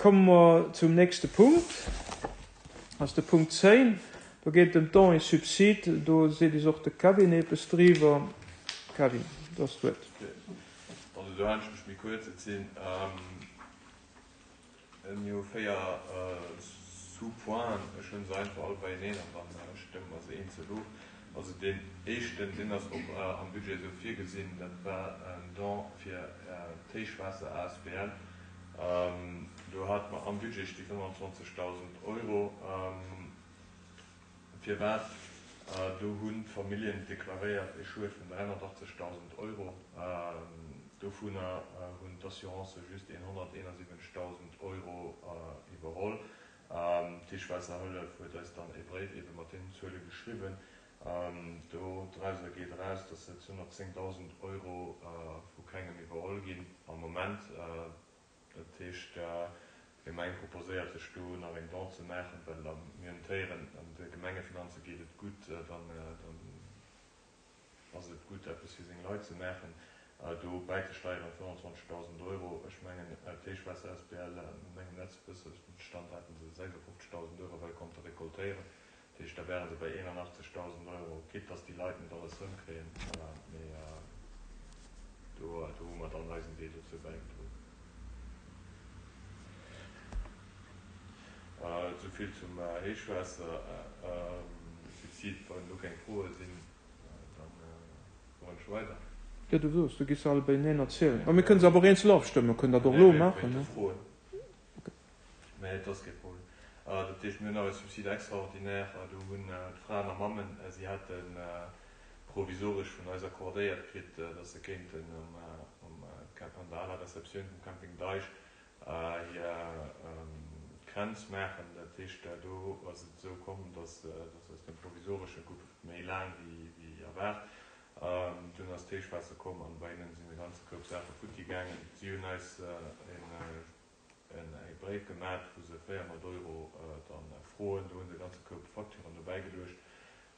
Komme mer zum nächste Punkt, ass de Punkt 10. Do geet et ëm d'Dons et subsides. Do seet is och de Kevin eppes driwwer. Kevin, du has d'Wuert. Also do halen ech mech méi kuerz. Et sinn jo 4 Sous-pointen. Ech hunn se einfach all beieneen an da stëmme mer se eenzel of. Also deen éischten, deen ass och am Budget esou virgesinn, dat war en Don fir d'Héichwaasser asbl. Do hate mer am Budget sti 25.000 Euro. Firwat? Do hunn d'Familljen deklaréiert e Schued vun 380.000 Euro. Dovunner hunn d'Assurancë just een 171.000 Euro iwwerholl. D'Héichwaasserhëllef huet eis dann e Bréif ebe mat deenen Zuele geschriwwen. Do drauser geet eraus, datt se 210.000 Euro vu kengem iwwerholl ginn am Moment. Dat heescht, d'Gemeng proposéiert sech do nach eng Don ze maachen, well mir hunn d'Héieren, an de Gemengefinanze geet et gutt, dann ass et gutt, eppes fir seng Leit ze maachen. Do bäizesteieren 25.000 Euro, ech mengen d'Héichwaasser asbl, no mengem letzte Wëssensstand hate se 56.000 Euro well konnte recoltéieren. Dat heescht, da wäre se bei 81.000 Euro, quitte dass déi Leit net alles erëmkréien, mee do hu mer dann eisen Deel dozou bäigedroen. Esou vill zum Héichwaassersubsid. Wann elo keng Froe sinn, da fueren ech weider. Jo, du soos, du giss se all beieneen erzielen. Mä mir kënnen se awer och eenzel ofstëmmen, kënnen dat och elo maachen. Nee, Froen. Mä et ass kee Problem. Dat heescht, mir hunn nach e Subside extraordinaire. Do hunn d'Fraen a Mammen, si hate provisoresch vun eis accordéiert kritt, dass se kéinten um an der aler Receptioun vum Camping Deich hir Kränz maachen. Dat heescht, do ass et esou komm, dass aus dem provisoresche gouf et méi laang wéi erwaart. Dunn ass d'Héichwaasser komm an bei hinnen sinn e ganze Koup Saache futti gaangen. Si hunn eis e Bréif gemat, wou se 400 Euro dann froen. Do hu se e ganze Koup Facturen dobäi geluecht.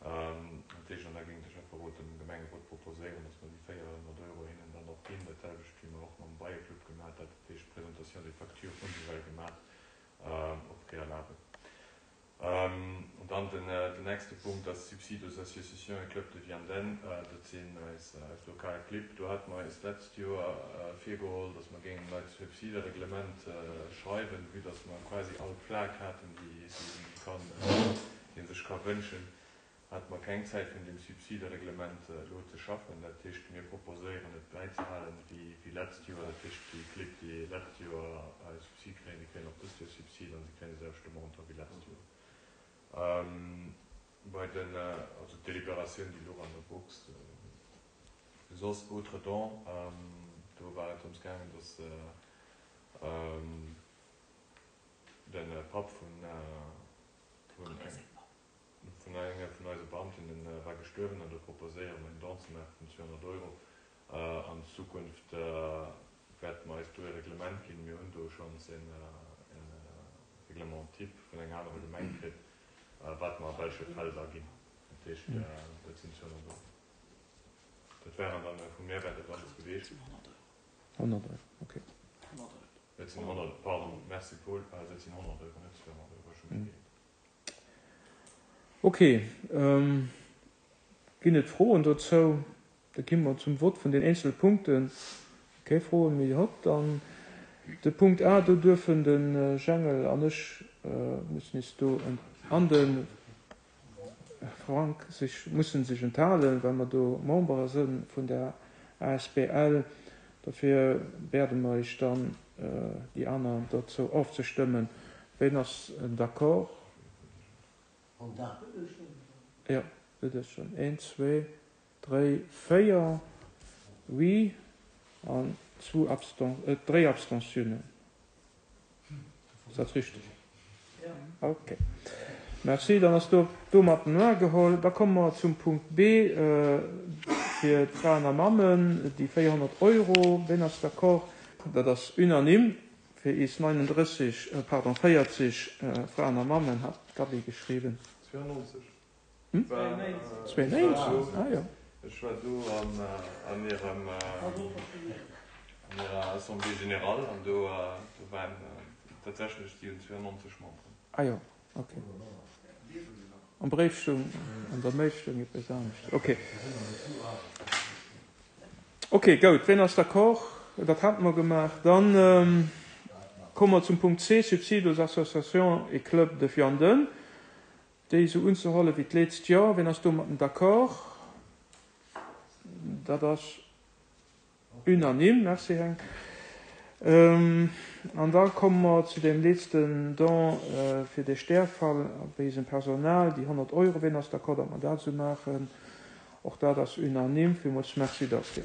Dat heescht, an da géing de Schäfferot dem Gemengerot proposéieren, dass mer déi 400 Euro hinnen dann och ginn. Dat selwecht wéi mer och mam Beieclub gemat hat. Dat heescht, d'Présentation des factures hu se well gemat au préalable. An dann den nächste Punkt ass Subsides aux associations et clubs de Vianden. Dat sinn eis lokal Clibb. Do hate mer eis d'letzt Joer virgeholl, dass mer géingen en neit Subsidereglement schreiwen, vue dass mer quasi all Plak haten, déi ee sech ka wënschen, hate mer keng Zäit fir un deem Subsidereglement elo ze schaffen. Dat heescht, mir proposéieren et bäizehalen wéi letzt Joer. Dat heescht, déi Clibb, déi letzt Joer Subsid kréien, déi kréien och dëst Joer Subsid an si kréien de selwechte Montant wéi letzt Joer. Bei den, also d'Deliberatioun, déi louch an der Box. Soss autres dons, do war et drëms gaangen, datt de Papp vun Vun engem vun eise Beamten, en war gestuerwen an do proposéiere mer en Don ze maache vun 200 Euro. An Zukunft wäerte mer eis do e Reglement ginn. Mir hunn do schonns e Règlement type vun enger anerer Gemeng kritt, wat mer a welche Fäll da ginn. Dat heescht, dat sinn 200 Euro. Dat waren dann, vu mir war dat alles geweecht. 100 Euro, okay. Et sinn 100, pardon, merci Paul, dat sinn 100 Euro, net 200 Euro, ech hu mech geirrt. Ok, ginn et Froen dozou? Da gi mer zum Vott vun den eenzele Punkten. Keng Froen méi? Hopp, dann de Punkt A, do duerfen de Jengel an ech mussen is do an de Frank sech mussen sech enthalen, well mer do Membere si vun der asbl. Dofir wäerde mer iech dann déi aner dozou ofzestëmmen. Ween ass d'accord? Jo, bitte schön. Een, zwee, dréi, véier Oui an zwou Absten-, dréi Abstentiounen. Ass dat richteg? Ok. Merci. Dann ass do domat den Noir geholl. Da komme mer zum Punkt B fir d'Fraen a Mammen, déi 400 Euro. Ween ass d'accord? Dat ass unanime fir is 39, pardon, 40 Fraen a Mammen, hat d'Gaby geschriwwen. 92. 92? Ah jo. Ech war do an hirem, an hirer Assemblée générale an do waren. Tatsächlech, si hunn 92 Memberen. Ah jo, ok. Am Bréif stoung, an der Mail stoung eppes anescht. Ok. Ok, goud. Ween ass d'accord? Dat hate mer gemaach. Dann komme mer zum Punkt C, Subsides aux associations et clubs de Vianden. Déi esou unzehuelen wéi d'leetzt Joer. Ween ass domatten d'accord? Dat ass unanime. Merci, Henk. An da komme mer zu deem letzten Don fir de Stärfall bei eisem Personal, déi 100 Euro. Ween ass d'accord, datt mer dat esou maachen? Och dat ass unanime. Villmools Merci derfir.